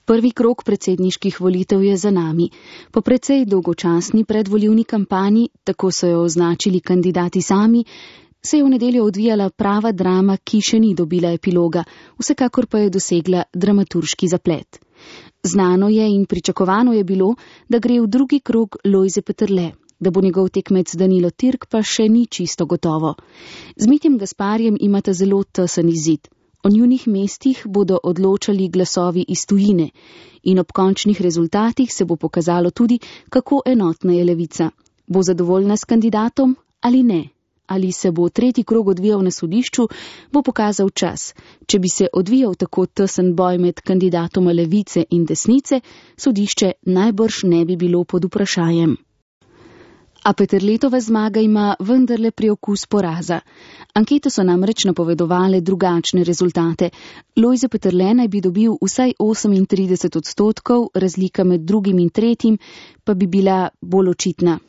Prvi krog predsedniških volitev je za nami. Po precej dolgočasni predvolilni kampanji, tako so jo označili kandidati sami, se je v nedeljo odvijala prava drama, ki še ni dobila epiloga, vsekakor pa je dosegla dramaturški zaplet. Znano je in pričakovano je bilo, da gre v drugi krog Lojze Peterle, da bo njegov tekmec Danilo Türk pa še ni čisto gotovo. Z Mitjem Gasparjem imata zelo tesen izid. O njunih mestih bodo odločali glasovi iz tujine in ob končnih rezultatih se bo pokazalo tudi, kako enotna je levica. Bo zadovoljna s kandidatom ali ne? Ali se bo tretji krog odvijal na sodišču, bo pokazal čas. Če bi se odvijal tako tesen boj med kandidatoma levice in desnice, sodišče najbrž ne bi bilo pod vprašajem. A Peterletova zmaga ima vendarle priokus poraza. Ankete so namreč napovedovale drugačne rezultate. Lojze Peterle naj bi dobil vsaj 38%, razlika med drugim in tretjim pa bi bila bolj očitna.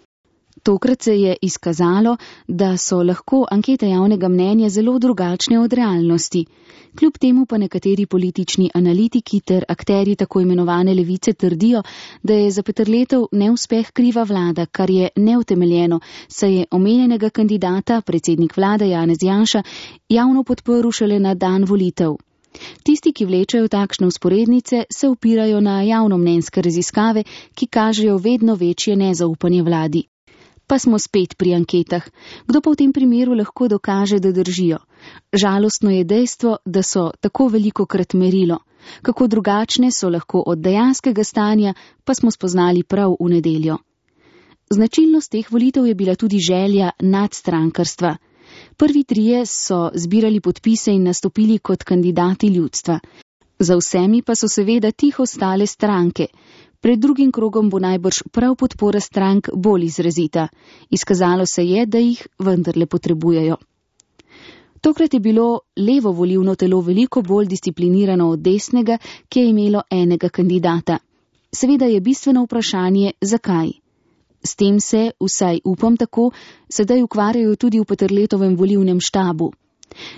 Tokrat se je izkazalo, da so lahko ankete javnega mnenja zelo drugačne od realnosti. Kljub temu pa nekateri politični analitiki ter akterji tako imenovane levice trdijo, da je za Peterletov neuspeh kriva vlada, kar je neutemeljeno, saj je omenjenega kandidata, predsednik vlade Janez Janša, javno podprl šele na dan volitev. Tisti, ki vlečejo takšne usporednice, se opirajo na javnomnenjske raziskave, ki kažejo vedno večje nezaupanje vladi. Pa smo spet pri anketah. Kdo pa v tem primeru lahko dokaže, da držijo? Žalostno je dejstvo, da so tako velikokrat merilo. Kako drugačne so lahko od dejanskega stanja, pa smo spoznali prav v nedeljo. Značilnost teh volitev je bila tudi želja nadstrankarstva. Prvi trije so zbirali podpise in nastopili kot kandidati ljudstva. Za vsemi pa so seveda tiho stale stranke. Pred drugim krogom bo najbrž prav podpora strank bolj izrazita. Izkazalo se je, da jih vendarle potrebujejo. Tokrat je bilo levo volilno telo veliko bolj disciplinirano od desnega, ki je imelo enega kandidata. Seveda je bistveno vprašanje, zakaj. S tem se, vsaj upam tako, sedaj ukvarjajo tudi v Peterletovem volilnem štabu.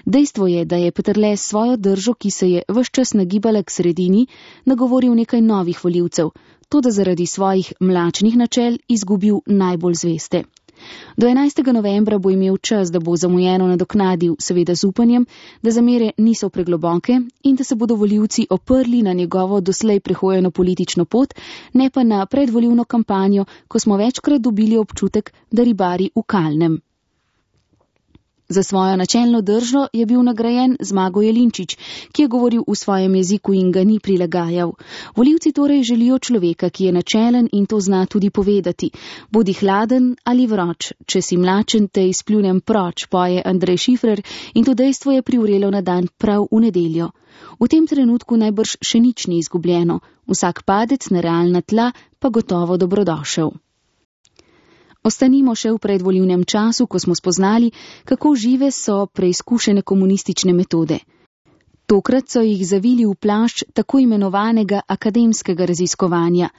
Dejstvo je, da je Peterle svojo držo, ki se je ves čas nagibala k sredini, nagovoril nekaj novih volivcev, to da zaradi svojih mlačnih načel izgubil najbolj zveste. Do 11. novembra bo imel čas, da bo zamujeno nadoknadil, seveda z upanjem, da zamere niso pregloboke in da se bodo volivci oprli na njegovo doslej prehojeno politično pot, ne pa na predvolilno kampanjo, ko smo večkrat dobili občutek, da ribari v kalnem. Za svojo načelno držo je bil nagrajen Zmago Jelinčič, ki je govoril v svojem jeziku in ga ni prilagajal. Volivci torej želijo človeka, ki je načelen in to zna tudi povedati. Bodi hladen ali vroč, če si mlačen, te izpljunem proč, poje Andrej Šifrer in to dejstvo je privrelo na dan prav v nedeljo. V tem trenutku najbrž še nič ni izgubljeno, vsak padec na realna tla pa gotovo dobrodošel. Ostanimo še v predvolilnem času, ko smo spoznali, kako žive so preizkušene komunistične metode. Tokrat so jih zavili v plašč tako imenovanega akademskega raziskovanja.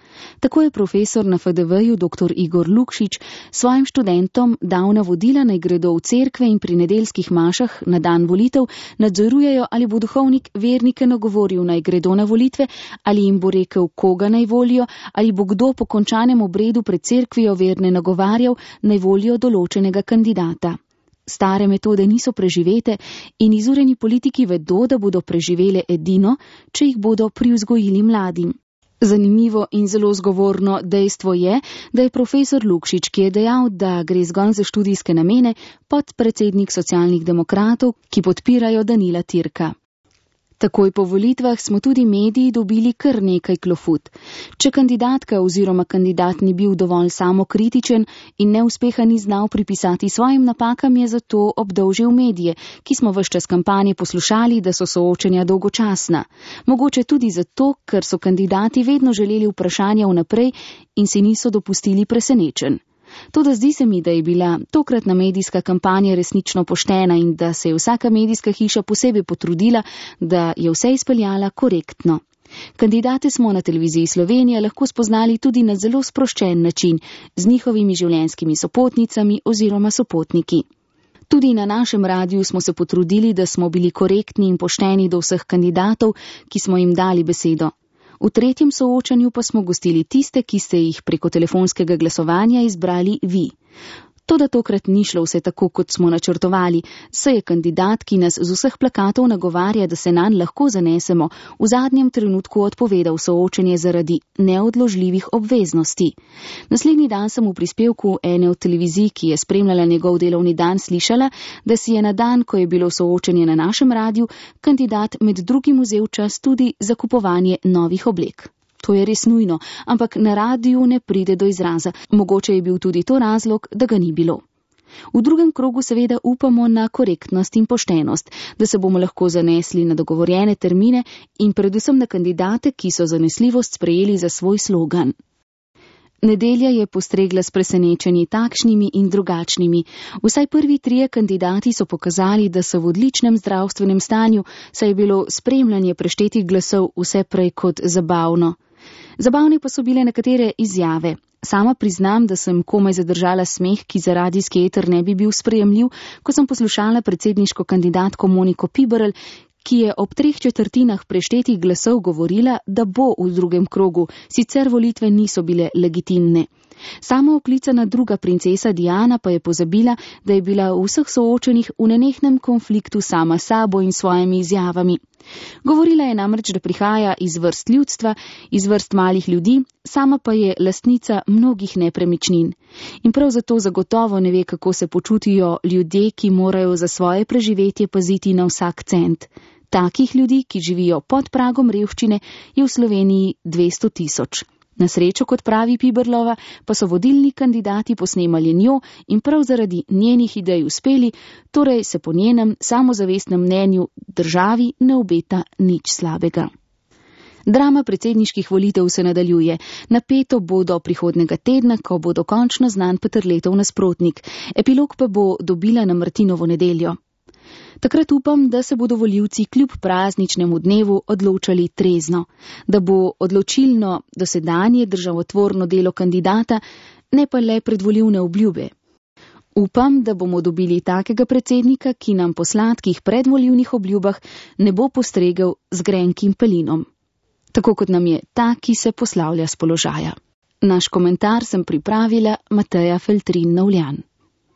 Tako je profesor na FDV-ju dr. Igor Lukšič svojim študentom dal navodila, naj gredo v cerkve in pri nedeljskih mašah na dan volitev nadzorujejo, ali bo duhovnik vernike nagovoril, naj gredo na volitve, ali jim bo rekel, koga naj volijo, ali bo kdo po končanem obredu pred cerkvijo verne nagovarjal, naj volijo določenega kandidata. Stare metode niso preživete in izurjeni politiki vedo, da bodo preživele edino, če jih bodo privzgojili mladim. Zanimivo in zelo zgovorno dejstvo je, da je profesor Lukšič, ki je dejal, da gre zgolj za študijske namene, podpredsednik Socialnih demokratov, ki podpirajo Danila Türka. Takoj po volitvah smo tudi mediji dobili kar nekaj klofut. Če kandidatka oziroma kandidat ni bil dovolj samokritičen in neuspeha ni znal pripisati svojim napakam, je zato obdolžil medije, ki smo ves čas kampanje poslušali, da so soočenja dolgočasna. Mogoče tudi zato, ker so kandidati vedno želeli vprašanja vnaprej in si niso dopustili presenečenj. Toda zdi se mi, da je bila tokratna medijska kampanja resnično poštena in da se je vsaka medijska hiša posebej potrudila, da je vse izpeljala korektno. Kandidate smo na televiziji Slovenija lahko spoznali tudi na zelo sproščen način, z njihovimi življenjskimi sopotnicami oziroma sopotniki. Tudi na našem radiju smo se potrudili, da smo bili korektni in pošteni do vseh kandidatov, ki smo jim dali besedo. V tretjem soočanju pa smo gostili tiste, ki ste jih preko telefonskega glasovanja izbrali vi. Toda tokrat ni šlo vse tako, kot smo načrtovali, saj je kandidat, ki nas z vseh plakatov nagovarja, da se nanj lahko zanesemo, v zadnjem trenutku odpovedal soočenje zaradi neodložljivih obveznosti. Naslednji dan sem v prispevku ene od televizij, ki je spremljala njegov delovni dan, slišala, da si je na dan, ko je bilo soočenje na našem radiju, kandidat med drugim vzel čas tudi za kupovanje novih oblek. To je res nujno, ampak na radiju ne pride do izraza. Mogoče je bil tudi to razlog, da ga ni bilo. V drugem krogu seveda upamo na korektnost in poštenost, da se bomo lahko zanesli na dogovorjene termine in predvsem na kandidate, ki so zanesljivost sprejeli za svoj slogan. Nedelja je postregla s presenečenji takšnimi in drugačnimi. Vsaj prvi 3 kandidati so pokazali, da so v odličnem zdravstvenem stanju, saj je bilo spremljanje preštetih glasov vse prej kot zabavno. Zabavne pa so bile nekatere izjave. Sama priznam, da sem komaj zadržala smeh, ki za radijski eter ne bi bil sprejemljiv, ko sem poslušala predsedniško kandidatko Moniko Piberl, ki je ob 3/4 preštetih glasov govorila, da bo v drugem krogu, sicer volitve niso bile legitimne. Sama oklicana druga princesa Diana pa je pozabila, da je bila v vseh soočenih v nenehnem konfliktu sama sabo in svojimi izjavami. Govorila je namreč, da prihaja iz vrst ljudstva, iz vrst malih ljudi, sama pa je lastnica mnogih nepremičnin. In prav zato zagotovo ne ve, kako se počutijo ljudje, ki morajo za svoje preživetje paziti na vsak cent. Takih ljudi, ki živijo pod pragom revščine, je v Sloveniji 200 000. Na srečo, kot pravi Piberlova, pa so vodilni kandidati posnemali njo in prav zaradi njenih idej uspeli, torej se po njenem samozavestnem mnenju državi ne obeta nič slabega. Drama predsedniških volitev se nadaljuje. Napeto bo do prihodnega tedna, ko bo dokončno znan Peterletov nasprotnik. Epilog pa bo dobila na Martinovo nedeljo. Takrat upam, da se bodo volivci kljub prazničnemu dnevu odločali trezno, da bo odločilno dosedanje državotvorno delo kandidata, ne pa le predvolilne obljube. Upam, da bomo dobili takega predsednika, ki nam po sladkih predvolilnih obljubah ne bo postregel z grenkim pelinom. Tako kot nam je ta, ki se poslavlja s položaja. Naš komentar sem pripravila Mateja Feltrin Novljan.